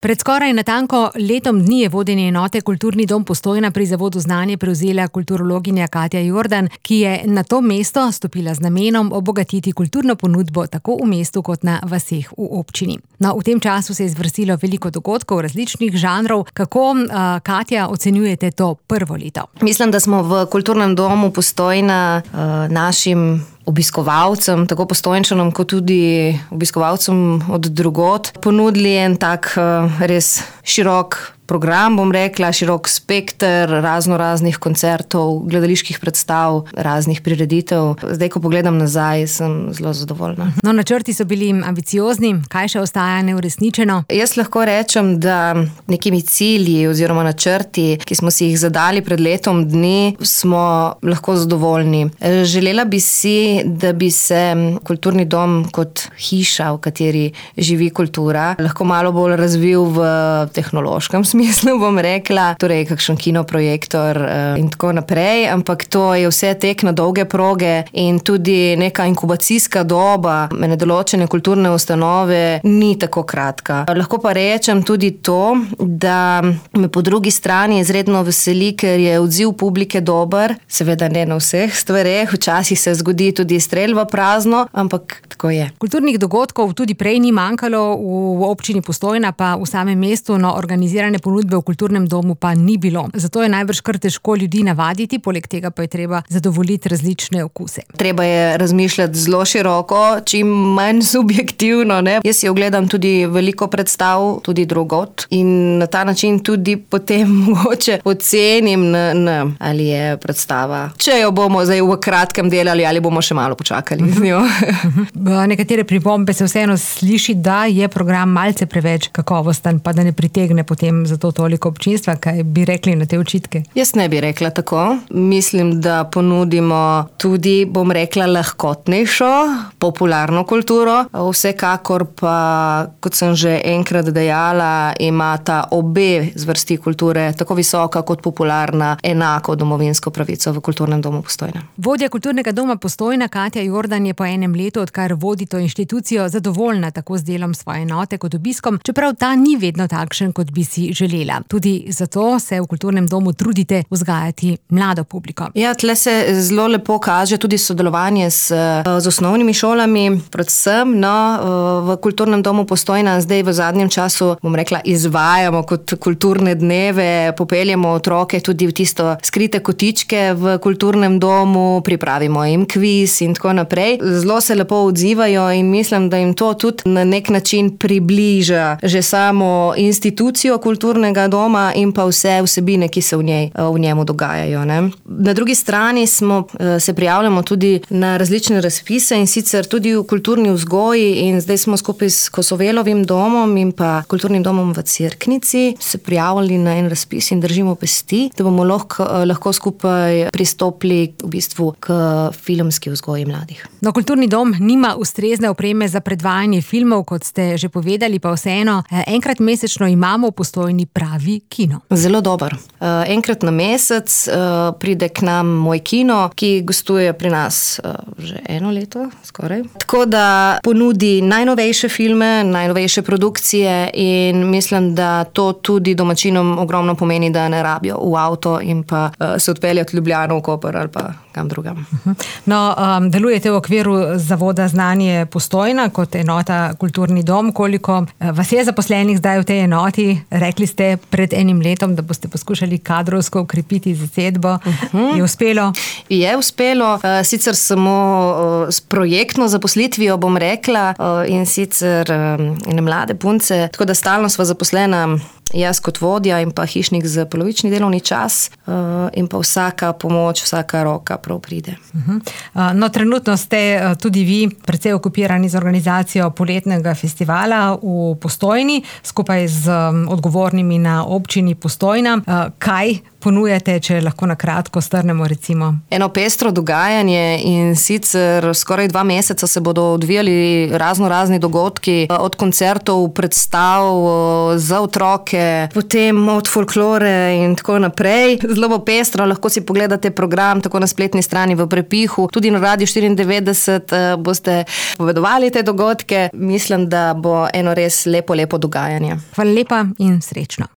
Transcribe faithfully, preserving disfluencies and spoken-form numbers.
Pred skoraj natanko letom dni je vodenje enote Kulturni dom Postojna pri Zavodu Znanje prevzela kulturologinja Katja Jordan, ki je na to mesto stopila z namenom obogatiti kulturno ponudbo tako v mestu kot na vaseh v občini. No, v tem času se je zvrstilo veliko dogodkov različnih žanrov. Kako, uh, Katja, ocenjujete to prvo leto? Mislim, da smo v Kulturnem domu Postojna uh, našim obiskovalcem, tako Postojnčanom, kot tudi obiskovalcem od drugod, ponudili en tak uh, res širok program, bom rekla, širok spekter razno raznih koncertov, gledaliških predstav, raznih prireditev. Zdaj, ko pogledam nazaj, sem zelo zadovoljna. No, načrti so bili ambiciozni, kaj še ostaja neuresničeno? Jaz lahko rečem, da nekimi cilji oziroma načrti, ki smo si jih zadali pred letom dni, smo lahko zadovoljni. Želela bi si, da bi se Kulturni dom kot hiša, v kateri živi kultura, lahko malo bolj razvil v tehnološkem smislu. Mislim, bom rekla, torej kakšen kinoprojektor in tako naprej, ampak to je vse tek na dolge proge in tudi neka inkubacijska doba ene določene kulturne ustanove ni tako kratka. Lahko pa rečem tudi to, da me po drugi strani izredno veseli, ker je odziv publike dober, seveda ne na vseh stvareh, včasih se zgodi tudi strel v prazno, ampak tako je. Kulturnih dogodkov tudi prej ni manjkalo v občini Postojna, pa v samem mestu, no, organizirane ponudbe v Kulturnem domu pa ni bilo. Zato je najbrž kar težko ljudi navaditi, poleg tega pa je treba zadovoljiti različne okuse. Treba je razmišljati zelo široko, čim manj subjektivno, ne. Jaz si ogledam tudi veliko predstav, tudi drugot, in na ta način tudi potem mogoče ocenim, na, na, ali je predstava, če jo bomo zdaj v kratkem delali, ali bomo še malo počakali z njo. Nekatere pripombe se vseeno sliši, da je program malce preveč kakovosten, pa da ne pritegne potem za to toliko občinstva. Kaj bi rekli na te očitke? Jaz ne bi rekla tako. Mislim, da ponudimo tudi, bom rekla, lahkotnejšo, popularno kulturo. Vsekakor pa, kot sem že enkrat dejala, imata obe zvrsti kulture, tako visoka kot popularna, enako domovinsko pravico v Kulturnem domu Postojna. Vodja Kulturnega doma Postojna Katja Jordan je po enem letu, odkar vodi to inštitucijo, zadovoljna tako z delom svoje enote kot obiskom, čeprav ta ni vedno takšen, kot bi si želela. Tudi zato se v Kulturnem domu trudite vzgajati mlado publiko. Ja, tle se zelo lepo kaže tudi sodelovanje s, z osnovnimi šolami, predvsem, no, v Kulturnem domu Postojna zdaj v zadnjem času, bom rekla, izvajamo kot kulturne dneve, popeljemo otroke tudi v tisto skrite kotičke v Kulturnem domu, pripravimo jim kviz in tako naprej. Zelo se lepo odzivajo in mislim, da jim to tudi na nek način približa že samo institucijo Kulturnega doma in pa vse vsebine, ki se v njej, v njemu dogajajo, ne. Na drugi strani smo, se prijavljamo tudi na različne razpise in sicer tudi v kulturni vzgoji in zdaj smo skupaj s Kosovelovim domom in pa Kulturnim domom v Cerknici se prijavili na en razpis in držimo pesti, da bomo lahko, lahko skupaj pristopili v bistvu k filmski vzgoji mladih. No, Kulturni dom nima ustrezne opreme za predvajanje filmov, kot ste že povedali, pa vseeno enkrat mesečno imamo v Postojni pravi kino. Zelo dober. Enkrat na mesec pride k nam moj kino, ki gostuje pri nas že eno leto, skoraj. Tako da ponudi najnovejše filme, najnovejše produkcije in mislim, da to tudi domačinom ogromno pomeni, da ne rabijo v avto in pa se odpeljati v Ljubljano, v Koper ali pa kam drugam. No, um, delujete v okviru Zavoda Znanje Postojna kot enota Kulturni dom. Koliko vas je zaposlenih zdaj v tej enoti? Rekli ste pred enim letom, da boste poskušali kadrovsko ukrepiti zasedbo. Uh-huh. Je uspelo? Je uspelo. Sicer samo s projektno zaposlitvijo, bom rekla, in sicer ene mlade punce, tako da stalno sva zaposlena jaz kot vodja in pa hišnik za polovični delovni čas in pa vsaka pomoč, vsaka roka prav pride. Uh-huh. No, trenutno ste tudi vi precej okupirani z organizacijo poletnega festivala v Postojni, skupaj z odgovornimi na občini Postojna. Kaj ponujate, če lahko na kratko strnemo recimo? Eno pestro dogajanje in sicer skoraj dva meseca se bodo odvijali razno razni dogodki, od koncertov, predstav za otroke, potem od folklore in tako naprej. Zelo bo pestro, lahko si pogledate program tako na spletni strani v prepihu, tudi na Radiu štiriindevetdeset boste povedovali te dogodke. Mislim, da bo eno res lepo, lepo dogajanje. Hvala lepa in srečno.